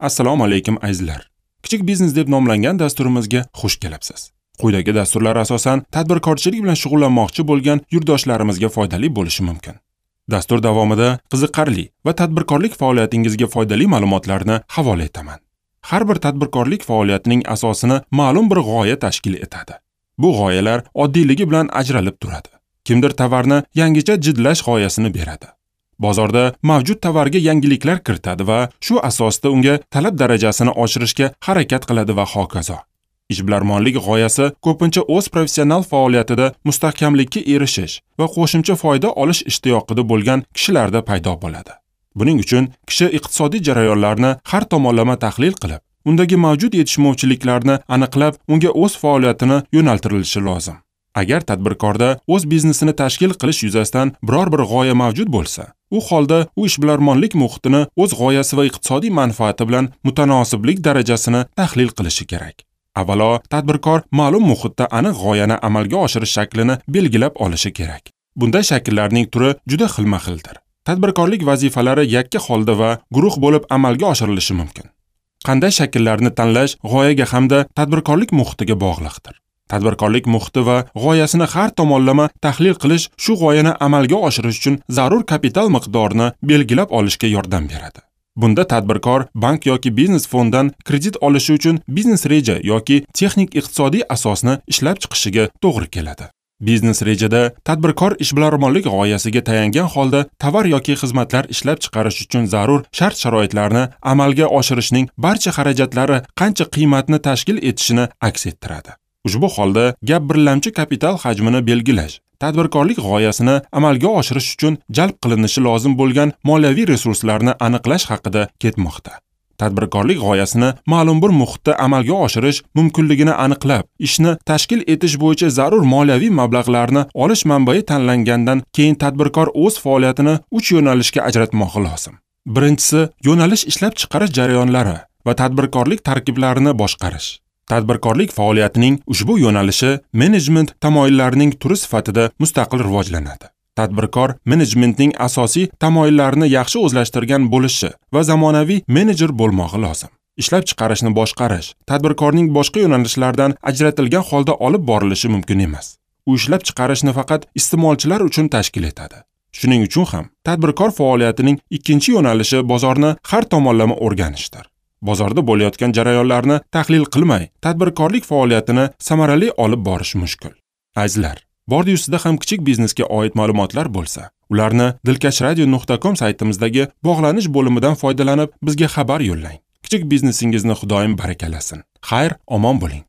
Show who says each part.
Speaker 1: Assalomu alaykum azizlar. Kichik biznes deb nomlangan dasturimizga xush kelibsiz. Quyidagi dasturlar asosan tadbirkorchilik bilan shug'ullanmoqchi bo'lgan yurtdoshlarimizga foydali bo'lishi mumkin. Dastur davomida qiziqarli va tadbirkorlik faoliyatingizga foydali ma'lumotlarni havola etaman. Har bir tadbirkorlik faoliyatining asosini ma'lum bir g'oya tashkil etadi. Bu g'oyalar oddiyligi bilan ajralib turadi. Kimdir tovarni yangicha jidlash g'oyasini beradi. Bozorda mavjud tovarga yangiliklar kiritadi va shu asosda unga talab darajasini oshirishga harakat qiladi va hokazo. Ishbilarmonlik g'oyasi ko'pincha o'z professional faoliyatida mustahkamlikka erishish va qo'shimcha foyda olish ishtiyoqida bo'lgan kishilarda paydo bo'ladi. Buning uchun kishi iqtisodiy jarayonlarni har tomonlama tahlil qilib, undagi mavjud yetishmovchiliklarni aniqlab, unga o'z faoliyatini yo'naltirilishi lozim. Agar tadbirkorda o'z biznesini tashkil qilish yuzasidan biror bir g'oya mavjud bo'lsa, u holda u ishbilarmonlik muhitini o'z g'oyasi va iqtisodiy manfaati bilan mutanosiblik darajasini tahlil qilishi kerak. Avvalo, tadbirkor ma'lum muhitda aniq g'oyani amalga oshirish shaklini belgilab olishi kerak. Bunday shakllarning turi juda xilma-xildir. Tadbirkorlik vazifalari yakka holda va guruh bo'lib amalga oshirilishi mumkin. Qanday shakllarni tanlash g'oyaga hamda tadbirkorlik muhitiga bog'liqdir. Tadbirkorlik muhiti va g'oyasini har tomonlama tahlil qilish shu g'oyani amalga oshirish uchun zarur kapital miqdorini belgilab olishga yordam beradi. Bunda tadbirkor bank yoki biznes fonddan kredit olishi uchun biznes reja yoki texnik iqtisodiy asosni ishlab chiqishiga to'g'ri keladi. Biznes rejada tadbirkor ishbilarmonlik g'oyasiga tayangan holda tovar yoki xizmatlar ishlab chiqarish uchun zarur shart-sharoitlarni amalga oshirishning barcha xarajatlari qancha qiymatni tashkil etishini aks ettiradi. Ushbu holda gap birlamchi kapital hajmini belgilash, tadbirkorlik g'oyasini amalga oshirish uchun jalb qilinishi lozim bo'lgan moliyaviy resurslarni aniqlash haqida ketmoqda. Tadbirkorlik g'oyasini ma'lum bir muhitda amalga oshirish mumkinligini aniqlab, ishni tashkil etish bo'yicha zarur moliyaviy mablag'larni olish manbai tanlangandan keyin tadbirkor o'z faoliyatini 3 yo'nalishga ajratmoqi lozim. Birinchisi, yo'nalish ishlab chiqarish jarayonlari va tadbirkorlik tarkiblarini boshqarish. Tadbirkorlik faoliyatining ushbu yo'nalishi menejment tamoyillarining turi sifatida mustaqil rivojlanadi. Tadbirkor menejmentning asosiy tamoyillarini yaxshi o'zlashtirgan bo'lishi va zamonaviy menejer bo'lmog'i lozim. Ishlab chiqarishni boshqarish tadbirkorning boshqa yo'nalishlardan ajratilgan holda olib borilishi mumkin emas. U ishlab chiqarishni faqat iste'molchilar uchun tashkil etadi. Shuning uchun ham tadbirkor faoliyatining ikkinchi yo'nalishi bozorni har tomonlama o'rganishdir. Bozorda bo'layotgan jarayonlarni tahlil qilmay, tadbirkorlik faoliyatini samarali olib borish mushkul. Azizlar, bordi ustida ham kichik biznesga oid ma'lumotlar bo'lsa, ularni dilkashradio.com saytimizdagi bog'lanish bo'limidan foydalanib bizga xabar yo'llang. Kichik biznesingizni Xudoyim barakalasin. Xayr, omon bo'ling.